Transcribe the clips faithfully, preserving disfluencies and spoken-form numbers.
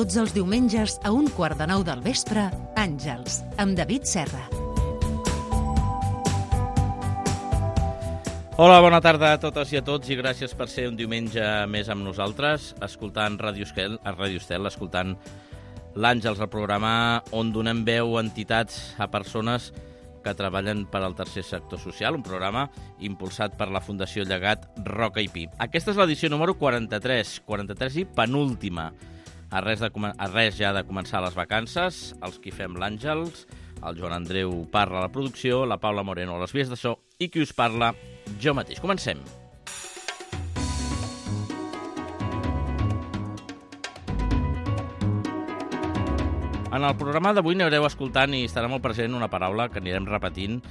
Tots els diumenges a un quart de nou del vespre, Àngels, amb David Serra. Hola, bona tarda a totes i a tots i gràcies per ser un diumenge més amb nosaltres, escoltant Ràdio Estel, a Ràdio Estel, escoltant l'Àngels, el programa on donem veu a entitats, a persones que treballen per al tercer sector social, un programa impulsat per la Fundació Llegat Roca i Pi. Aquesta és l'edició número quaranta-tres, quaranta-tres i penúltima. A res, de, a res ja de començar les vacances, els qui fem l'Àngels, el Joan Andreu parla a la producció, la Paula Moreno a les vies de so i qui us parla, jo mateix. Comencem. En el programa d'avui n'haureu escoltant i estarà molt present una paraula que anirem repetint,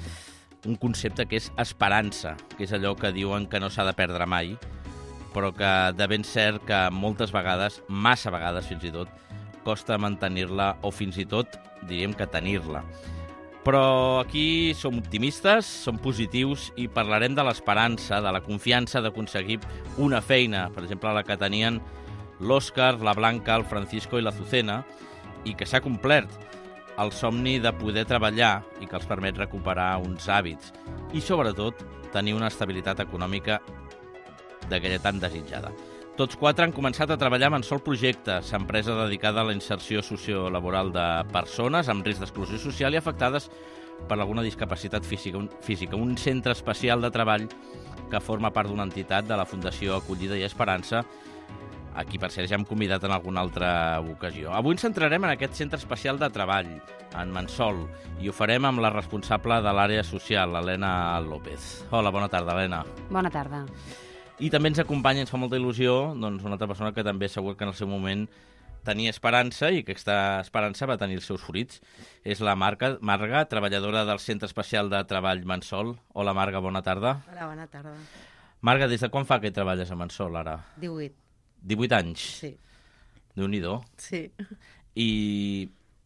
un concepte que és esperança, que és allò que diuen que no s'ha de perdre mai, però que de ben cert que moltes vegades, massa vegades fins i tot, costa mantenir-la o fins i tot, diríem que tenir-la. Però aquí som optimistes, som positius i parlarem de l'esperança, de la confiança d'aconseguir una feina, per exemple, la que tenien l'Òscar, la Blanca, el Francisco i la Azucena, i que s'ha complert el somni de poder treballar i que els permet recuperar uns hàbits i, sobretot, tenir una estabilitat econòmica d'aquella tan desitjada. Tots quatre han començat a treballar amb Sol Projectes, empresa dedicada a la inserció sociolaboral de persones amb risc d'exclusió social i afectades per alguna discapacitat física, física, un centre especial de treball que forma part d'una entitat de la Fundació Acollida i Esperança, a qui, per cert, ja hem convidat en alguna altra ocasió. Avui ens centrarem en aquest centre especial de treball, en Mansol, i ho farem amb la responsable de l'àrea social, Helena López. Hola, bona tarda, Helena. Bona tarda. I també ens acompanya, ens fa molta il·lusió, doncs una altra persona que també segur que en el seu moment tenia esperança i que aquesta esperança va tenir els seus fruits. És la Marga, Marga, treballadora del Centre Especial de Treball Mansol. Hola, Marga, bona tarda. Hola, bona tarda. Marga, des de quan fa que treballes a Mansol, ara? divuit. divuit anys? Sí. Déu-n'hi-do. Sí. I,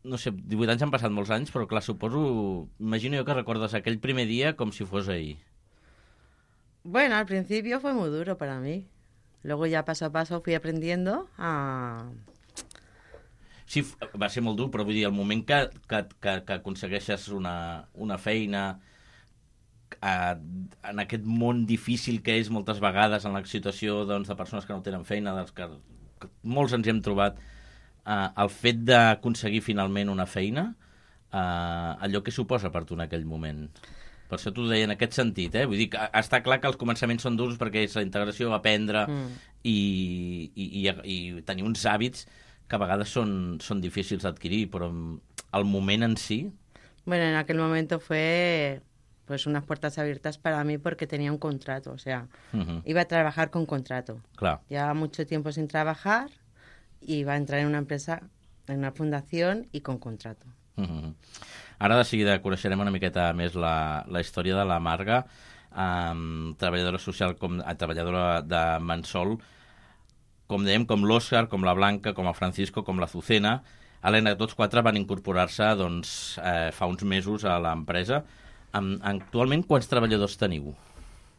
no sé, divuit anys han passat molts anys, però clar, suposo, imagino jo que recordes aquell primer dia com si fos ahir. Bueno, al principio fue muy duro para mí. Luego ya paso a paso fui aprendiendo a... Sí, va ser molt dur, però vull dir, el moment que, que, que, que aconsegueixes una, una feina a, en aquest món difícil que és moltes vegades en la situació doncs, de persones que no tenen feina, dels que, que molts ens hi hem trobat, eh, el fet d'aconseguir finalment una feina, eh, allò que suposa per tu en aquell moment. Per això t'ho deia en aquest sentit, eh? Vull dir que està clar que els començaments són durs perquè és la integració, aprendre mm. i, i, i, i tenir uns hàbits que a vegades són, són difícils d'adquirir, però el moment en si... Bueno, en aquel momento fue pues unas puertas abiertas para mí porque tenía un contrato, o sea, uh-huh. iba a trabajar con contrato. Claro. Llevaba mucho tiempo sin trabajar y iba a entrar en una empresa, en una fundación y con contrato. Uh-huh. Ara de seguida coneixerem una miqueta més la, la història de la Marga, um, treballadora social, com, a treballadora de Mansol, com dèiem, com l'Òscar, com la Blanca, com el Francisco, com la Azucena. Helena, tots quatre van incorporar-se doncs, eh, fa uns mesos a l'empresa. Um, actualment, quants treballadors teniu?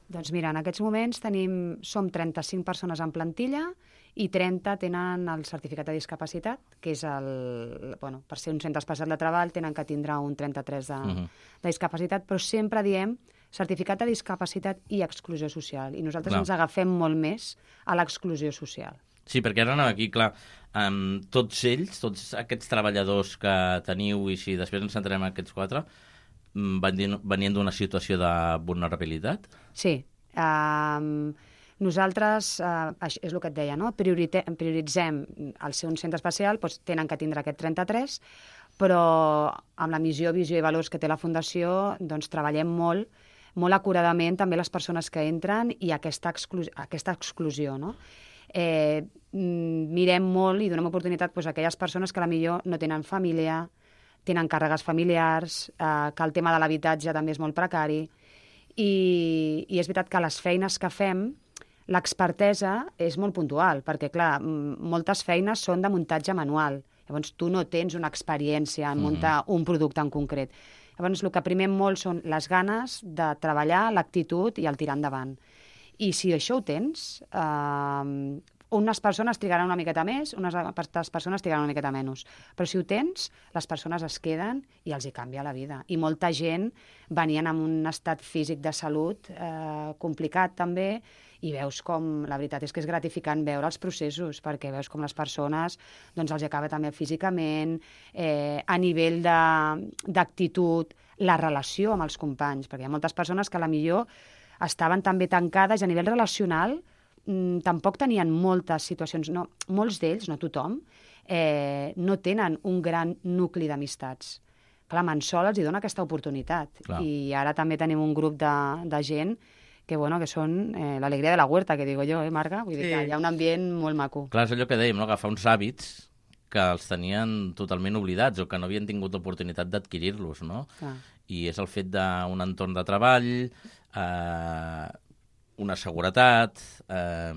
Doncs mira, en aquests moments tenim, som trenta-cinc persones en plantilla i trenta tenen el certificat de discapacitat, que és el... Bueno, per ser un centre especial de treball tenen que tindre un trenta-tres de, uh-huh. de discapacitat, però sempre diem certificat de discapacitat i exclusió social. I nosaltres clar. Ens agafem molt més a l'exclusió social. Sí, perquè ara anava aquí, clar, um, tots ells, tots aquests treballadors que teniu, i si després ens centrem en aquests quatre, venien d'una situació de vulnerabilitat? Sí. Um, nosaltres, uh, és el que et deia, no? Priorite, prioritzem el ser un centre especial, doncs tenen que tindre aquest trenta-tres, però amb la missió, visió i valors que té la Fundació, doncs treballem molt, molt acuradament també les persones que entren i aquesta, exclu aquesta exclusió, no? Eh, mirem molt i donem oportunitat doncs, a aquelles persones que potser no tenen família, tenen càrregues familiars, eh, que el tema de l'habitatge també és molt precari, i, i és veritat que les feines que fem, l'expertesa és molt puntual, perquè, clar, moltes feines són de muntatge manual. Llavors, tu no tens una experiència en muntar mm. un producte en concret. Llavors, el que primem molt són les ganes de treballar, l'actitud i el tirar endavant. I si això ho tens, eh, Unes persones trigaran una miqueta més, unes altres persones trigaran una miqueta menys. Però si ho tens, les persones es queden i els hi canvia la vida. I molta gent venien amb un estat físic de salut eh, complicat també, i veus com, la veritat és que és gratificant veure els processos, perquè veus com les persones doncs, els acaba també físicament, eh, a nivell d'actitud, la relació amb els companys, perquè hi ha moltes persones que a la millor estaven també tancades a nivell relacional, mmm, tampoc tenien moltes situacions, no, molts d'ells, no tothom, eh, no tenen un gran nucli d'amistats. Clar, Mansol els hi dona aquesta oportunitat. Clar. I ara també tenim un grup de, de gent que, bueno, que són eh, l'alegria de la huerta, que digo jo, eh, Marga? Vull dir Sí. que hi ha un ambient molt maco. Clar, és allò que dèiem, no? Agafar uns hàbits que els tenien totalment oblidats o que no havien tingut oportunitat d'adquirir-los, no? Clar. I és el fet d'un entorn de treball, eh, una seguretat, eh,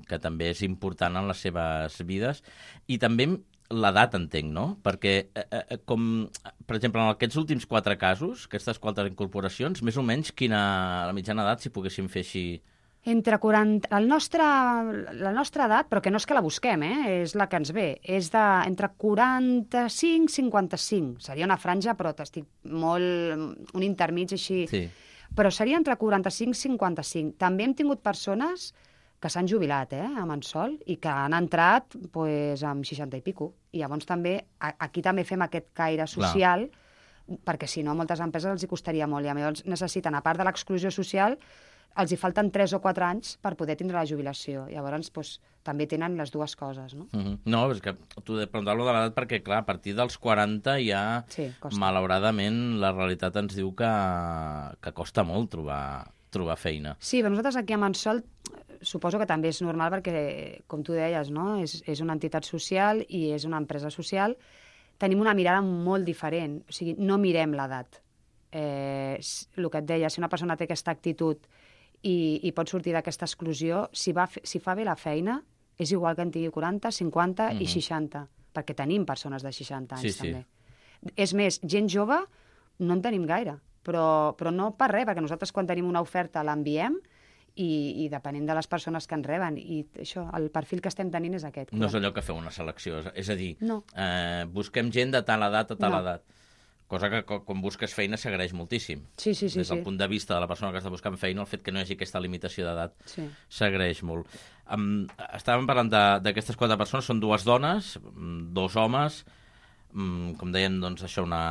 que també és important en les seves vides, i també l'edat, entenc, no? Perquè, eh, eh, com, per exemple, en aquests últims quatre casos, aquestes quatre incorporacions, més o menys quina la mitjana edat, si poguéssim fer així... Entre quaranta... El nostre, la nostra edat, però que no és que la busquem, eh? És la que ens ve, és de, entre quaranta-cinc i cinquanta-cinc. Seria una franja, però t'estic molt... un intermig així... Sí. Però seria entre quaranta-cinc i cinquanta-cinc. També hem tingut persones que s'han jubilat, eh, a Mansol, i que han entrat pues, amb seixanta i pico. I llavors també, a, aquí també fem aquest caire social, Clar. perquè si no a moltes empreses els hi costaria molt. I llavors necessiten, a part de l'exclusió social, els hi falten tres o quatre anys per poder tindre la jubilació. Llavors, doncs, també tenen les dues coses, no? Mm-hmm. No, és que tu de preguntar-lo de l'edat perquè, clar, a partir dels quaranta ja, Sí, costa. malauradament, la realitat ens diu que, que costa molt trobar, trobar feina. Sí, però nosaltres aquí a Mansol suposo que també és normal perquè, com tu deies, no? és, és una entitat social i és una empresa social. Tenim una mirada molt diferent. O sigui, no mirem l'edat. Eh, el que et deia, si una persona té aquesta actitud i, i pot sortir d'aquesta exclusió, si, va, si fa bé la feina, és igual que en tingui quaranta, cinquanta mm-hmm. i seixanta, perquè tenim persones de seixanta anys, sí, també. Sí. És més, gent jove no en tenim gaire, però, però no per res, perquè nosaltres quan tenim una oferta l'enviem i, i depenent de les persones que en reben. I això, el perfil que estem tenint és aquest. No és allò que feu una selecció, és, és a dir, no. eh, busquem gent de tal edat a tal no. edat. Cosa que quan busques feina s'agraeix moltíssim. Sí, sí, sí. Des del sí. punt de vista de la persona que està buscant feina, el fet que no hi hagi aquesta limitació d'edat sí. s'agraeix molt. Um, estàvem parlant d'aquestes quatre persones, són dues dones, dos homes, um, com deien, doncs, això, una,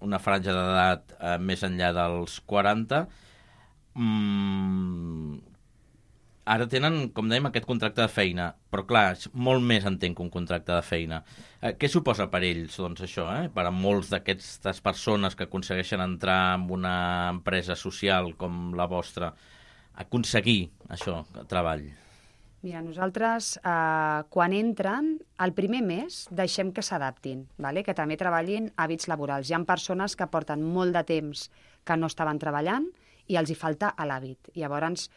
una franja d'edat uh, més enllà dels quaranta. Um, ara tenen, com dèiem, aquest contracte de feina, però clar, és molt més entenc que un contracte de feina. Eh, què suposa per ells, doncs, això, eh? Per a molts d'aquestes persones que aconsegueixen entrar en una empresa social com la vostra, aconseguir això, treball? Mira, nosaltres, eh, quan entren, el primer mes deixem que s'adaptin, vale? Que també treballin hàbits laborals. Hi ha persones que porten molt de temps que no estaven treballant i els hi falta l'hàbit. Llavors,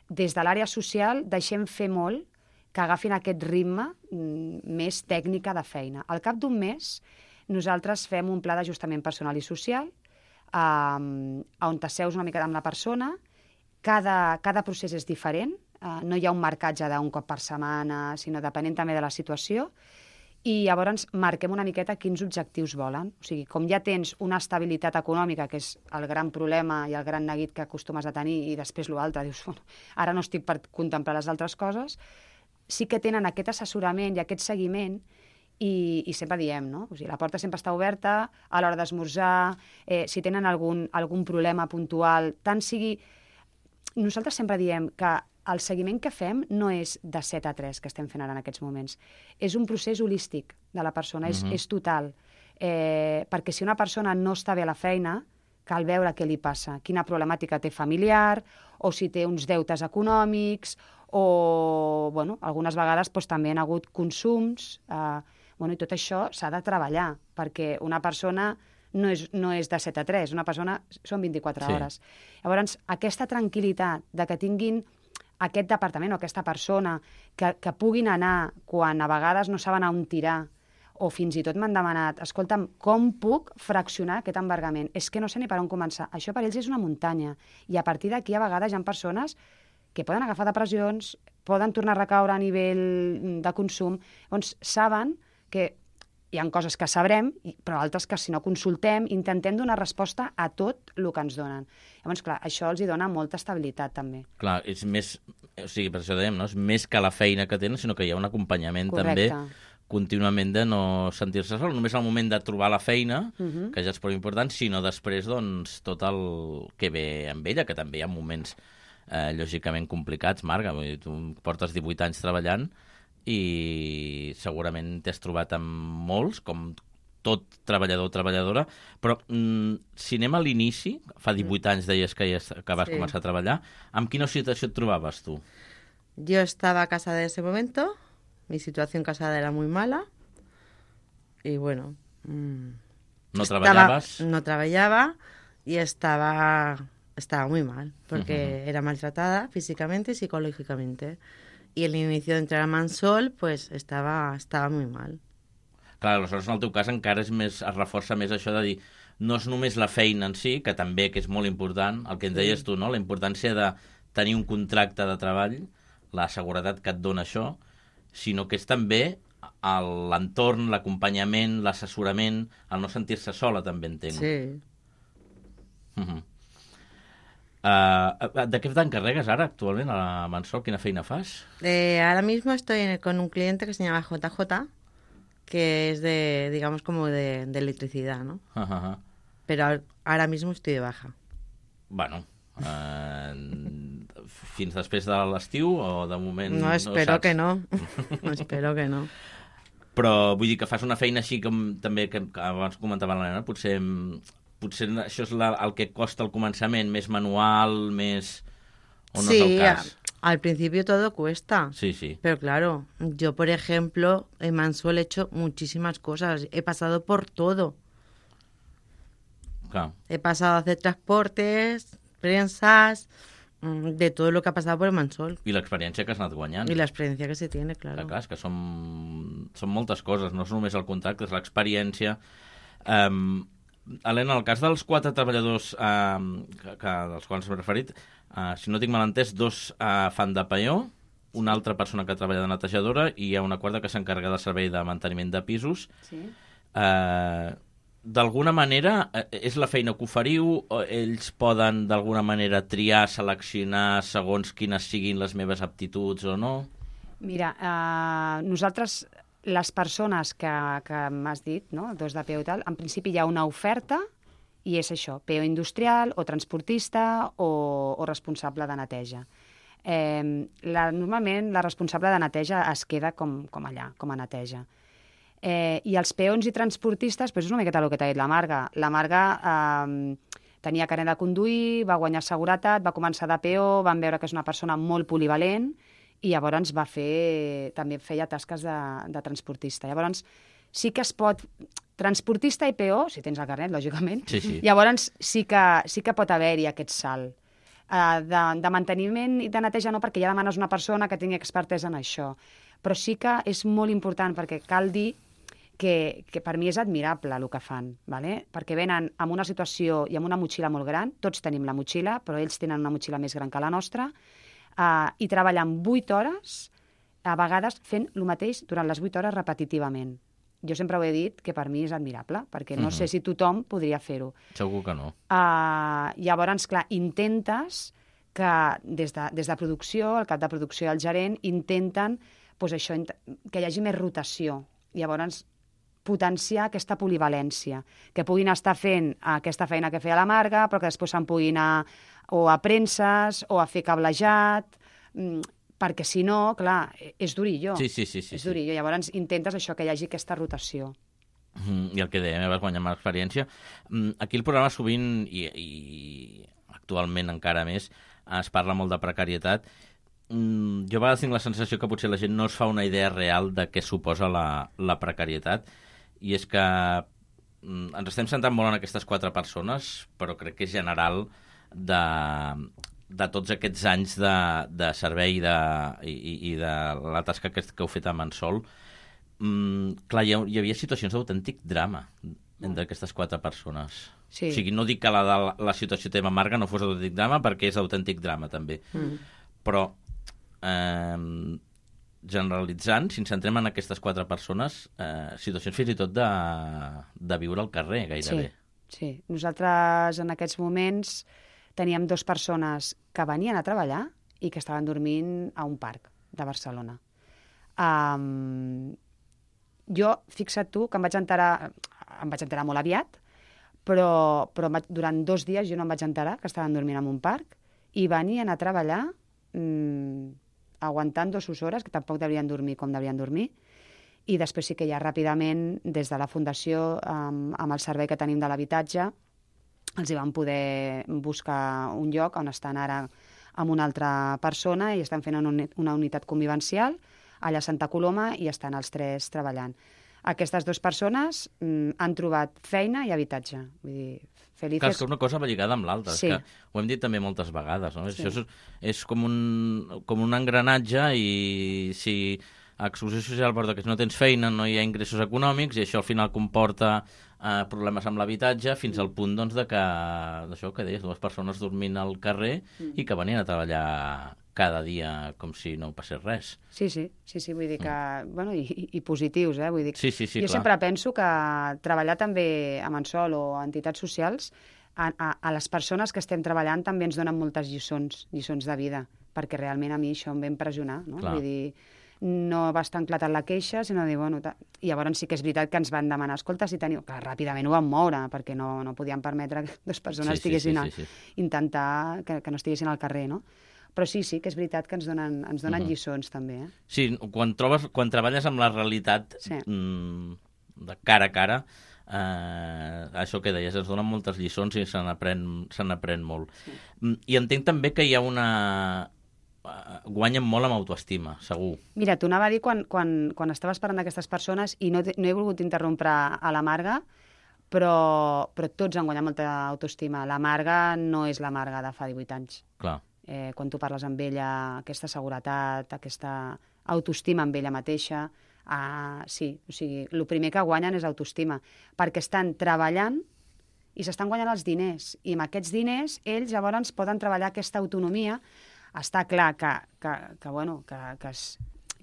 des de l'àrea social deixem fer molt que agafin aquest ritme mm, més tècnica de feina. Al cap d'un mes nosaltres fem un pla d'ajustament personal i social eh, on t'asseus una mica amb la persona, cada, cada procés és diferent, eh, no hi ha un marcatge d'un cop per setmana, sinó depenent també de la situació, i llavors marquem una miqueta quins objectius volen. O sigui, com ja tens una estabilitat econòmica, que és el gran problema i el gran neguit que acostumes a tenir, i després l'altre, dius, bueno, ara no estic per contemplar les altres coses, sí que tenen aquest assessorament i aquest seguiment, i, i sempre diem, no? O sigui, la porta sempre està oberta a l'hora d'esmorzar, eh, si tenen algun, algun problema puntual, tant sigui... Nosaltres sempre diem que el seguiment que fem no és de set a tres, que estem fent ara en aquests moments. És un procés holístic de la persona, és, uh-huh. és total. Eh, perquè si una persona no està bé a la feina, cal veure què li passa, quina problemàtica té familiar, o si té uns deutes econòmics, o, bueno, algunes vegades doncs, també han hagut consums, eh, bueno, i tot això s'ha de treballar, perquè una persona no és, no és de set a tres, una persona són vint-i-quatre sí. hores. Llavors, aquesta tranquil·litat de que tinguin aquest departament o aquesta persona que, que puguin anar quan a vegades no saben a on tirar, o fins i tot m'han demanat, escolta'm, com puc fraccionar aquest embargament? És que no sé ni per on començar. Això per ells és una muntanya. I a partir d'aquí a vegades hi ha persones que poden agafar depressions, poden tornar a recaure a nivell de consum. Llavors, saben que hi ha coses que sabrem, però altres que si no consultem, intentem donar resposta a tot el que ens donen. Llavors, clar, això els hi dona molta estabilitat, també. Clar, és més, o sigui, per això dèiem, no? És més que la feina que tenen, sinó que hi ha un acompanyament Correcte. també contínuament de no sentir-se sol, només al moment de trobar la feina, Uh-huh. que ja és prou important, sinó després, doncs, tot el que ve amb ella, que també hi ha moments eh, lògicament complicats, Marga, vull dir, tu portes divuit anys treballant i segurament t'has trobat amb molts, com tot treballador o treballadora, però mm, si anem a l'inici, fa divuit anys deies que, ja, que vas Sí. començar a treballar, amb quina situació et trobaves tu? Yo estaba casada en ese momento, mi situación casada era muy mala y bueno... mmm, No estaba- treballaves? No trabajaba y estaba, estaba muy mal, porque Ujú. era maltratada físicamente y psicológicamente. Y el inicio de entrar a Mansol, pues estaba, estaba muy mal. Clar, aleshores en el teu cas encara és més, es reforça més això de dir no és només la feina en si, que també que és molt important, el que ens deies tu, no? La importància de tenir un contracte de treball, la seguretat que et dona això, sinó que és també el- l'entorn, l'acompanyament, l'assessorament, el no sentir-se sola, també entenc. Sí. Uh-huh. Uh, de què t'encarregues ara actualment a la Mansol? Quina feina fas? Eh, ahora mismo estoy en- con un cliente que se llama J J, que es de, digamos, como de, de electricidad, ¿no? Uh -huh. Pero ahora- ahora mismo estoy de baja. Bueno, uh, fins després de l'estiu o de moment No, espero saps? que no. Espero que no. Però vull dir que fas una feina així com també que, que abans comentava la nena, potser, potser això és la, el que costa al començament, més manual, més... o no sí, és el cas? a- al principio todo cuesta. Sí, sí. Pero claro, yo, por ejemplo, en Mansol he hecho muchísimas cosas. He pasado por todo. Clar. He pasado a hacer transportes, prensas, mm, de todo lo que ha pasado por el Mansol. I l'experiència que has anat guanyant. Y la experiencia que se tiene, Clar, claro. clar, és que són, són moltes coses, no és només el contracte, és l'experiència. Um, Helena, en el cas dels quatre treballadors um, que, que, dels quals m'he referit, uh, si no tinc mal entès, dos uh, fan de peó, una altra persona que treballa de netejadora i hi ha una quarta que s'encarrega del servei de manteniment de pisos. Sí. Uh, d'alguna manera, eh, és la feina que oferiu, o ells poden d'alguna manera triar, seleccionar segons quines siguin les meves aptituds o no? Mira, eh, nosaltres, les persones que, que m'has dit, no? dos de P O i tal, en principi hi ha una oferta i és això, P O industrial o transportista o, o responsable de neteja. Eh, la, normalment la responsable de neteja es queda com, com allà, com a neteja. Eh, I els peons i transportistes, doncs és una miqueta el que t'ha dit la Marga. La Marga eh, tenia carnet de conduir, va guanyar seguretat, va començar de P O, van veure que és una persona molt polivalent i llavors va fer, també feia tasques de, de transportista. Llavors sí que es pot... Transportista i P O, si tens el carnet, lògicament, Sí, sí. llavors sí que, sí que pot haver-hi aquest salt. Uh, de, de manteniment i de neteja no, perquè ja demanes una persona que tingui expertesa en això. Però sí que és molt important, perquè cal dir que, que per mi és admirable el que fan, ¿vale? Perquè venen amb una situació i amb una motxilla molt gran, tots tenim la motxilla, però ells tenen una motxilla més gran que la nostra, uh, i treballen vuit hores, a vegades fent el mateix durant les vuit hores repetitivament. Jo sempre ho he dit que per mi és admirable, perquè no Mhm. sé si tothom podria fer-ho. Segur que no. Uh, llavors, clar, intentes que des de, des de producció, el cap de producció i el gerent, intenten pues, això, int- que hi hagi més rotació. Llavors, potenciar aquesta polivalència, que puguin estar fent aquesta feina que feia la Marga, però que després se'n puguin anar o a premses o a fer cablejat, mm, perquè si no, clar, és durillo. Sí, sí, sí. sí, és sí. durillo. Llavors intentes això, que hi hagi aquesta rotació. Mm, I el que dèiem, eh, vas guanyar amb l'experiència. Mm, Aquí el programa sovint, i, i actualment encara més, es parla molt de precarietat. Mm, Jo a vegades tinc la sensació que potser la gent no es fa una idea real de què suposa la, la precarietat, i és que mm, ens estem centrant molt en aquestes quatre persones, però crec que és general de, de tots aquests anys de, de servei de, i, i de la tasca que, que heu fet a Mansol. Mm, clar, hi, ha, hi havia situacions d'autèntic drama entre aquestes quatre persones. Sí. O sigui, no dic que la, la, la situació teva Marga no fos autèntic drama, perquè és autèntic drama, també. Mm. Però, eh, generalitzant, si ens centrem en aquestes quatre persones, eh, situacions fins i tot de, de viure al carrer, gairebé. Sí, sí. Nosaltres en aquests moments teníem dues persones que venien a treballar i que estaven dormint a un parc de Barcelona. Um, jo, fixa't tu, que em vaig enterar, em vaig enterar molt aviat, però, però durant dos dies jo no em vaig enterar que estaven dormint en un parc i venien a treballar mmm, aguantant dues hores, que tampoc deurien dormir com deurien dormir, i després sí que ja ràpidament, des de la Fundació, amb, amb el servei que tenim de l'habitatge, els hi van poder buscar un lloc on estan ara amb una altra persona i estan fent una unitat convivencial allà a Santa Coloma i estan els tres treballant. Aquestes dues persones mm, han trobat feina i habitatge. Vull dir, felices... Clar, és que una cosa va lligada amb l'altra. Sí. Que ho hem dit també moltes vegades. No? Sí. Això és, és com, un, com un engranatge i si a exclusió social porta que si no tens feina no hi ha ingressos econòmics i això al final comporta eh, problemes amb l'habitatge fins al punt doncs, de que, d'això que deies, dues persones dormint al carrer mm. i que venien a treballar cada dia com si no passés res. Sí, sí, sí, sí vull dir que... Mm. Bueno, i, i positius, eh? Vull dir, sí, sí, sí, jo clar. sempre penso que treballar també a Mansol o a entitats socials, a, a, a les persones que estem treballant també ens donen moltes lliçons, lliçons de vida, perquè realment a mi això em va impressionar, no? Clar. Vull dir, no va estar enclatat la queixa, sinó dir, bueno... I llavors sí que és veritat que ens van demanar, escolta, si teniu... Clar, ràpidament ho van moure, perquè no, no podien permetre que dues persones sí, sí, estiguessin sí, sí, sí. a intentar que, que no estiguessin al carrer, no? Però sí, sí, que és veritat que ens donen, ens donen uh-huh. lliçons, també. Eh? Sí, quan, trobes, quan treballes amb la realitat sí. mm, de cara a cara, eh, això que deies, ens donen moltes lliçons i se n'aprèn se n'aprèn molt. Sí. I entenc també que hi ha una... guanyen molt amb autoestima, segur. Mira, t'ho anava a dir quan, quan, quan estaves parlant d'aquestes persones i no, no he volgut interrompre a la Marga, però, però tots han guanyat molta autoestima. La Marga no és la Marga de fa divuit anys. Clar. Eh, quan tu parles amb ella, aquesta seguretat, aquesta autoestima amb ella mateixa, uh, sí, o sigui, el primer que guanyen és autoestima, perquè estan treballant i s'estan guanyant els diners, i amb aquests diners ells llavors poden treballar aquesta autonomia. Està clar que, que, que, bueno, que, que, és,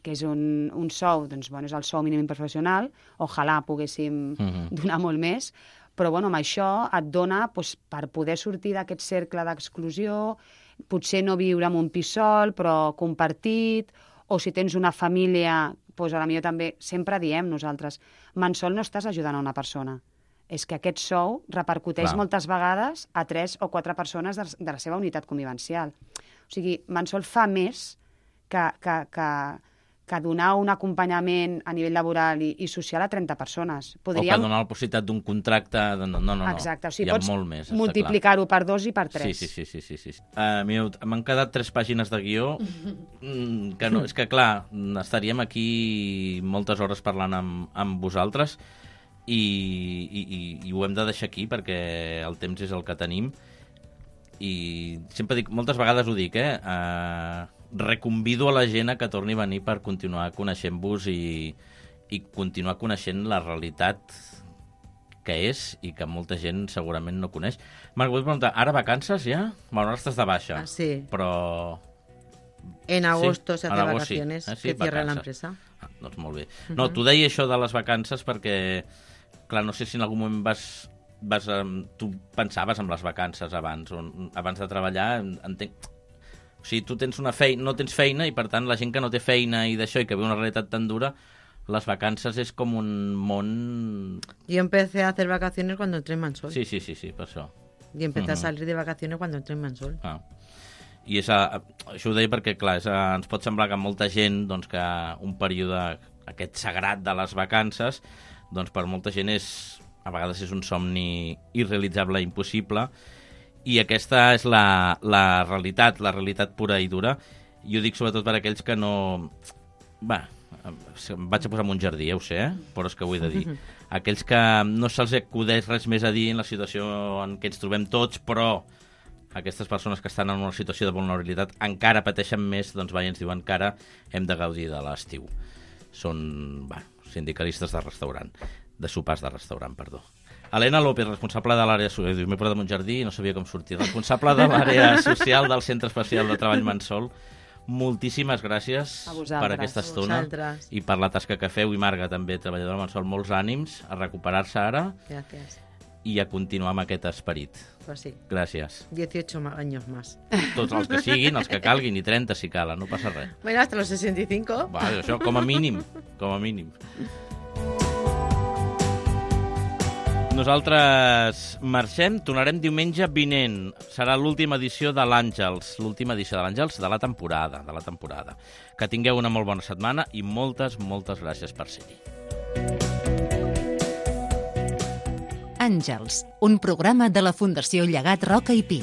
que és un, un sou, doncs, bueno, és el sou mínim professional, ojalà poguéssim uh-huh. donar molt més, però bueno, amb això et dona doncs, per poder sortir d'aquest cercle d'exclusió, potser no viure en un pis sol, però compartit, o si tens una família, doncs a la millor també, sempre diem nosaltres, Mansol no estàs ajudant a una persona, és que aquest sou repercuteix Clar. moltes vegades a tres o quatre persones de, de la seva unitat convivencial. O sigui, Mansol fa més que, que, que, que donar un acompanyament a nivell laboral i, i social a trenta persones. Podríem... O que donar la possibilitat d'un contracte... No, no, no, no. Exacte, o sigui, hi ha pots molt més, multiplicar-ho per dos i per tres. Sí, sí, sí. sí, sí, sí. Uh, mireu, m'han quedat tres pàgines de guió, que no, és que, clar, estaríem aquí moltes hores parlant amb, amb vosaltres i, i, i, i ho hem de deixar aquí perquè el temps és el que tenim. I sempre dic, moltes vegades ho dic, eh? Uh, reconvido a la gent a que torni a venir per continuar coneixent-vos i, i continuar coneixent la realitat que és i que molta gent segurament no coneix. Marc, vull preguntar, ara vacances ja? Bueno, ara estàs de baixa. Ah, sí. Però... En agosto sí? se hace vacaciones, sí. Eh, sí, que cierra la empresa. Ah, doncs molt bé. Uh-huh. No, t'ho deia això de les vacances perquè, clar, no sé si en algun moment vas... vas, tu pensaves en les vacances abans, on, abans de treballar, entenc... O sigui, tu tens una feina, no tens feina i, per tant, la gent que no té feina i d'això i que viu una realitat tan dura, les vacances és com un món... Yo empecé a hacer vacaciones cuando entré en Mansol. Sí, sí, sí, sí, per això. Y empecé uh-huh. a salir de vacaciones cuando entré en Mansol. Ah. I és a, això ho deia perquè, clar, és a, ens pot semblar que molta gent, doncs, que un període, aquest sagrat de les vacances, doncs, per molta gent és... a vegades és un somni irrealitzable, impossible, i aquesta és la, la realitat, la realitat pura i dura. I ho dic sobretot per aquells que no... Va, em vaig a posar en un jardí, ja ho sé, eh? Però és que ho he de dir. Aquells que no se'ls acudeix res més a dir en la situació en què ens trobem tots, però aquestes persones que estan en una situació de vulnerabilitat encara pateixen més, doncs va, i ens diuen que ara hem de gaudir de l'estiu. Són, va, sindicalistes de restaurant. de sopars de restaurant, perdó. Helena López, responsable de l'àrea social, m'he portat a un jardí i no sabia com sortir, responsable de l'àrea social del Centre Especial de Treball Mansol. moltíssimes gràcies A vosaltres. per aquesta estona vosaltres. i per la tasca que feu. I Marga, també, treballadora mensual, molts ànims a recuperar-se ara Gracias. i a continuar amb aquest esperit. Pues sí, Gràcies. dieciocho ma- años más. Tots els que siguin, els que calguin, i trenta si calen, no passa res. Bueno, hasta los sesenta y cinco. Va, això com a mínim, com a mínim. Nosaltres marxem, tornarem diumenge vinent. Serà l'última edició de l'Àngels, l'última edició de l'Àngels de la temporada, de la temporada. Que tingueu una molt bona setmana i moltes, moltes gràcies per ser-hi. Àngels, un programa de la Fundació Llegat Roca i Pi.